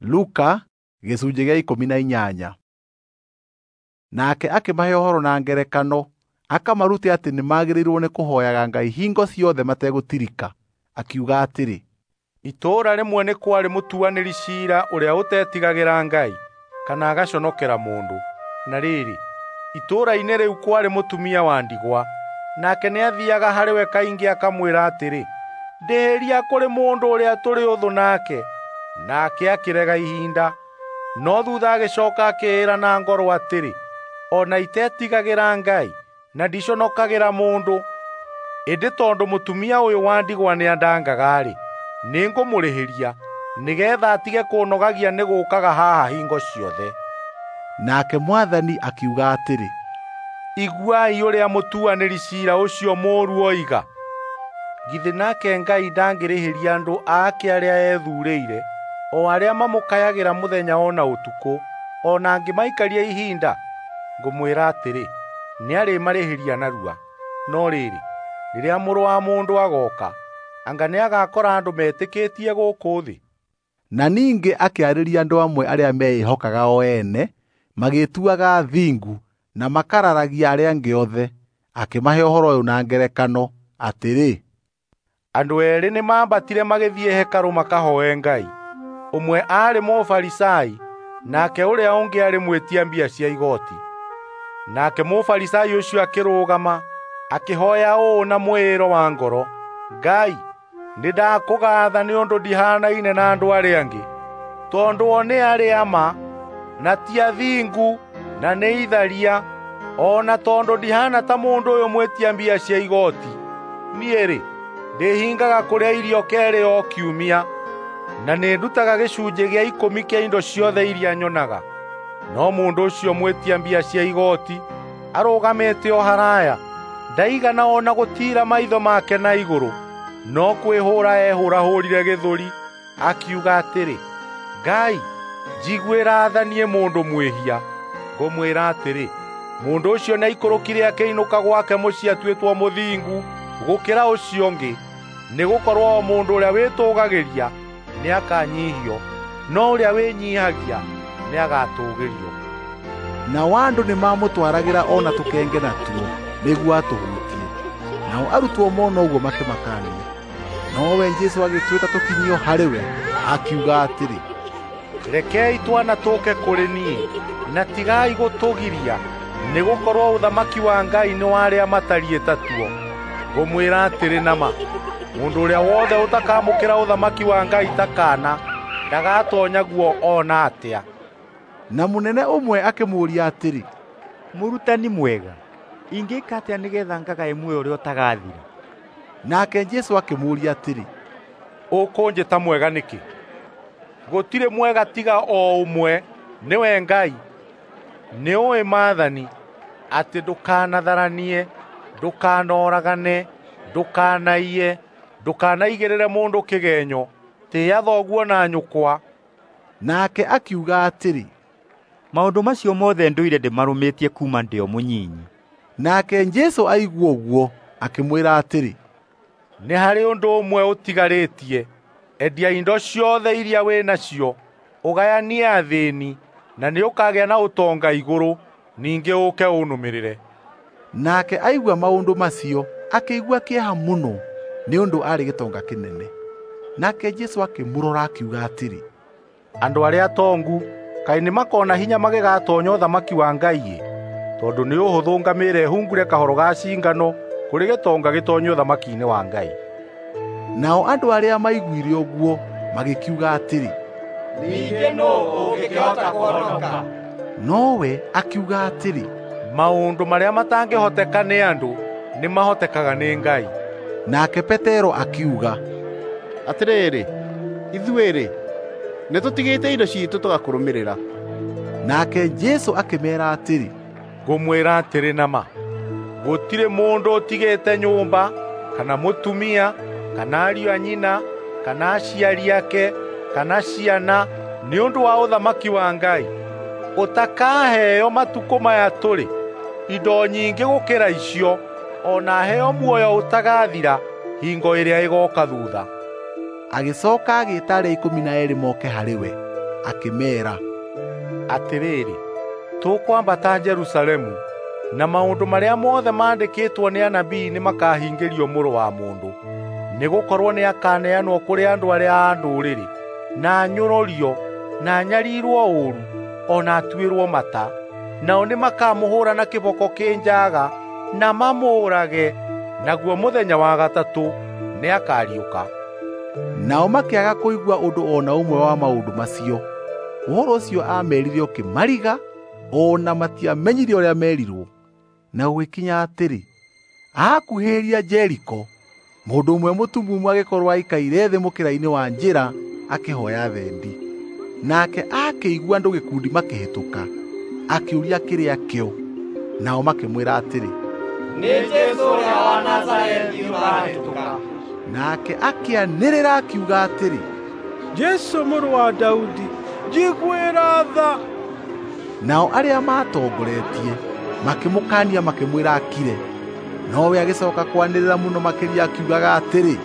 Luka gĩcunjĩ gĩa 18. Nake akĩmahe ũhoro na ngerekano, akamarute atĩ nĩmagĩrĩirwo nĩ kũhooyaga Ngai hingo ciothe mategũtirika, akiuga atĩrĩ, Itũũra rĩmwe nĩ kwarĩ mũtuanĩri ciira ũrĩa ũtetigagĩra Ngai kana agaconokera mũndũ. Na rĩrĩ, itũũra-inĩ rĩu kwarĩ mũtumia wa ndigwa, nake nĩathiiaga harĩ we kaingĩ akamwĩra atĩrĩ, 'Ndĩhĩria kũrĩ mũndũ ũrĩa tũrĩ ũthũ nake.' Nake akĩrega ihinda, no thuutha agĩcooka akĩĩra na ngoro atĩrĩ, 'O na itetigagĩra Ngai na ndiconokagĩra mũndũ, ĩndĩ tondũ mũtumia ũyũ wa ndigwa nĩandangaga-rĩ, nĩngũmũrĩhĩria, nĩgeetha atige kũũnogagia nĩ gũũkaga haha hingo ciothe.' Nake Mwathani akiuga atĩrĩ, Iguai ũrĩa mũtuanĩri ciira ũcio mũũru oiga. Githĩ nake Ngai ndangĩrĩhĩria andũ ake arĩa ethuurĩire, o arĩa mamũkayagĩra mũthenya o na ũtukũ, o na angĩmaikaria ihinda? Ngũmwĩra atĩrĩ, nĩarĩmarĩhĩria narua. No rĩrĩ, rĩrĩa Mũrũ wa Mũndũ agooka, anga nĩagakora andũ metĩkĩtie gũkũ thĩ?" Na ningĩ akĩarĩria andũ amwe arĩa meĩhokaga o ene, magĩĩtuaga athingu na makararagia arĩa angĩ othe. Akĩmahe ũhoro ũyũ na ngerekano, atĩrĩ, Andũ eerĩ nĩmambatire magĩthiĩ hekarũ makahooe Ngai. Ũmwe aarĩ Mũfarisai, nake ũrĩa ũngĩ aarĩ mwĩtia mbia cia igooti. Nake Mũfarisai ũcio akĩrũgama, akĩhooya ũũ na mwĩĩro wa ngoro, 'Ngai, nĩndakũgaatha nĩ ũndũ ndihanaine na andũ arĩa angĩ, tondũ o nĩ arĩa ma, na ti athingu, na nĩ itharia, o na tondũ ndihana ta mũndũ ũyũ mwĩtia mbia cia igooti. Niĩ-rĩ, ndĩhingaga kũrĩa irio keerĩ o kiumia, na nĩndutaga gĩcunjĩ gĩa ikũmi kĩa indo ciothe iria nyonaga.' No mũndũ ũcio mwĩtia mbia cia igooti arũgamĩte o haraaya, ndaigana o na gũtiira maitho make na igũrũ, no kwĩhũũra ehũũrahũũrire gĩthũri, akiuga atĩrĩ, 'Ngai, njiguĩra tha niĩ mũndũ mwĩhia.' Ngũmwĩra atĩrĩ, mũndũ ũcio nĩaikũrũkire akĩinũka gwake mũciĩ atuĩtwo mũthingu gũkĩra ũcio ũngĩ, nĩgũkorwo o mũndũ ũrĩa wĩtũũgagĩria nĩakanyiihio, no ũrĩa wĩnyiihagia nĩagatũũgĩrio." Nao andũ nĩmamũtwaragĩra o na tũkenge natuo nĩguo atũhutie. Nao arutwo mona ũguo makĩmakaania. Nowe Jesũ agĩtwĩta tũkinyio harĩ we, akiuga atĩrĩ, Rekei twana tũũke kũrĩ niĩ, na tigai gũtũgiria, nĩgũkorwo ũthamaki wa Ngai nĩ wa arĩa matariĩ ta tuo. Ngũmwĩra atĩrĩ na ma, mũndũ ũrĩa wothe ũtakamũkĩra ũthamaki wa Ngai ta kaana, ndagatoonya guo o na atĩa. Na mũnene ũmwe akĩmũũria atĩrĩ, Mũrutani mwega, ingĩĩka atĩa nĩgeetha ngagae muoyo ũrĩa ũtagathira? Nake Jesũ akĩmũũria atĩrĩ, Ũkũnjĩta mwega nĩkĩ? Gũtirĩ mwega tiga o ũmwe, nĩwe Ngai. Nĩũũĩ maathani, atĩ ndũkanatharanie, ndũkanoragane, ndũkanaiye, ndũkanaigĩrĩre mũndũ kĩgenyo, tĩĩa thoguo na nyũkwa." Nake akiuga atĩrĩ, Maũndũ macio mothe ndũire ndĩmarũmĩtie kuuma ndĩ o mũnyinyi. Nake Jesũ aigua ũguo, akĩmwĩra atĩrĩ, Nĩ harĩ ũndũ ũmwe ũtigarĩtie. Endia indo ciothe iria wĩ nacio, ũgayanie athĩĩni, na nĩũkagĩa na ũtonga igũrũ. Ningĩ ũũke ũnũmĩrĩre." Nake aigua maũndũ macio, akĩigua kĩeha mũno nĩ ũndũ aarĩ gĩtonga kĩnene. Nake Jesũ akĩmũrora akiuga atĩrĩ, Andũ arĩa atongu kaĩ nĩmakona hinya magĩgatoonya ũthamaki wa Ngai-ĩ! Tondũ nĩ ũhũthũ ngamĩĩra ĩhungure kahoro ga cingano kũrĩ gĩtonga gĩtoonye ũthamaki-inĩ wa Ngai. Nao andũ arĩa maiguire ũguo magĩkiuga atĩrĩ, Ningĩ nũũ ũngĩkĩhota kũhonoka? Nowe akiuga atĩrĩ, Maũndũ marĩa matangĩhoteka nĩ andũ nĩmahotekaga nĩ Ngai. Nake Petero akiuga, Atĩrĩrĩ, ithuĩ-rĩ, nĩtũtigĩte indo ciitũ tũgakũrũmĩrĩra. Nake Jesũ akĩmeera atĩrĩ, Ngũmwĩra atĩrĩ na ma, gũtirĩ mũndũ ũtigĩte nyũmba, kana mũtumia, kana ariũ a nyina, kana aciari ake, kana ciana, nĩ ũndũ wa ũthamaki wa Ngai, ũtakaheo matukũ maya tũrĩ indo nyingĩ gũkĩra icio, o na aheo muoyo ũtagathira hingo ĩrĩa ĩgooka thuutha. Agĩcooka agĩĩta arĩa 12 moke harĩ we, Akĩmeera, Atĩrĩrĩ, tũkwambata Jerusalemu, na maũndũ marĩa mothe maandĩkĩtwo nĩ anabii nĩmakahingĩrio Mũrũ wa Mũndũ. Nĩgũkorwo nĩakaneanwo kũrĩ andũ arĩa a ndũrĩrĩ, na anyũrũrio, na anyarirwo ũũru, o na atuĩrwo mata. Nao nĩmakamũhũũra na kĩboko kĩ njaaga na mamũũrage, naguo mũthenya wa gatatũ nĩakariũka. Nao makĩaga kũigua ũndũ o na ũmwe wa maũndũ macio. Ũhoro ũcio aamerire ũkĩmariga, o na matiamenyire ũrĩa meerirwo. Na gũgĩkinya atĩrĩ, aakuhĩrĩria Jeriko, mũndũ ũmwe mũtumumu agĩkorwo aikaire thĩ mũkĩra-inĩ wa njĩra akĩhooya thendi. Nake akĩigua andũ gĩkundi makĩhĩtũka, akĩũria kĩrĩa kĩo. Nao makĩmwĩra atĩrĩ, Nĩ Jesũ ũrĩa wa Nazarethi ũrahĩtũka. Nake akĩanĩrĩra akiuga atĩrĩ, Jesũ mũrũ wa Daudi, njiguĩra tha. Nao arĩa maatongoretie makĩmũkaania makĩmwĩra akire, nowe agĩcoka kwanĩrĩra mũno makĩria akiugaga atĩrĩ,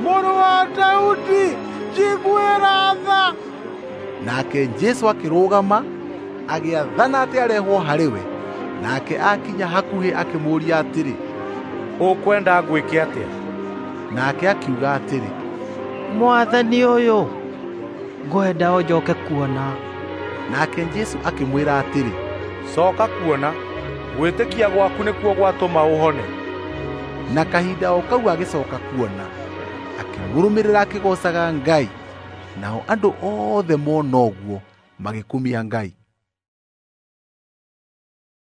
Mũrũ wa Daudi, njiguĩra tha. Nake Jesũ akĩrũgama, agĩathana atĩ arehwo harĩ we. Nake akinya hakuhĩ akĩmũũria atĩrĩ, Ũkwenda ngwĩke atĩa? Nake akiuga atĩrĩ, Mwathani ũyũ, ngwenda ũnjoke kuona. Nake Jesũ akĩmwĩra atĩrĩ, Coka kuona, gwĩtĩkia gwaku nĩkuo gwatũma ũhone. Na kahinda o kau agĩcoka kuona, akĩmũrũmĩrĩra akĩgoocaga Ngai. Nao andũ othe mona ũguo magĩkumia Ngai.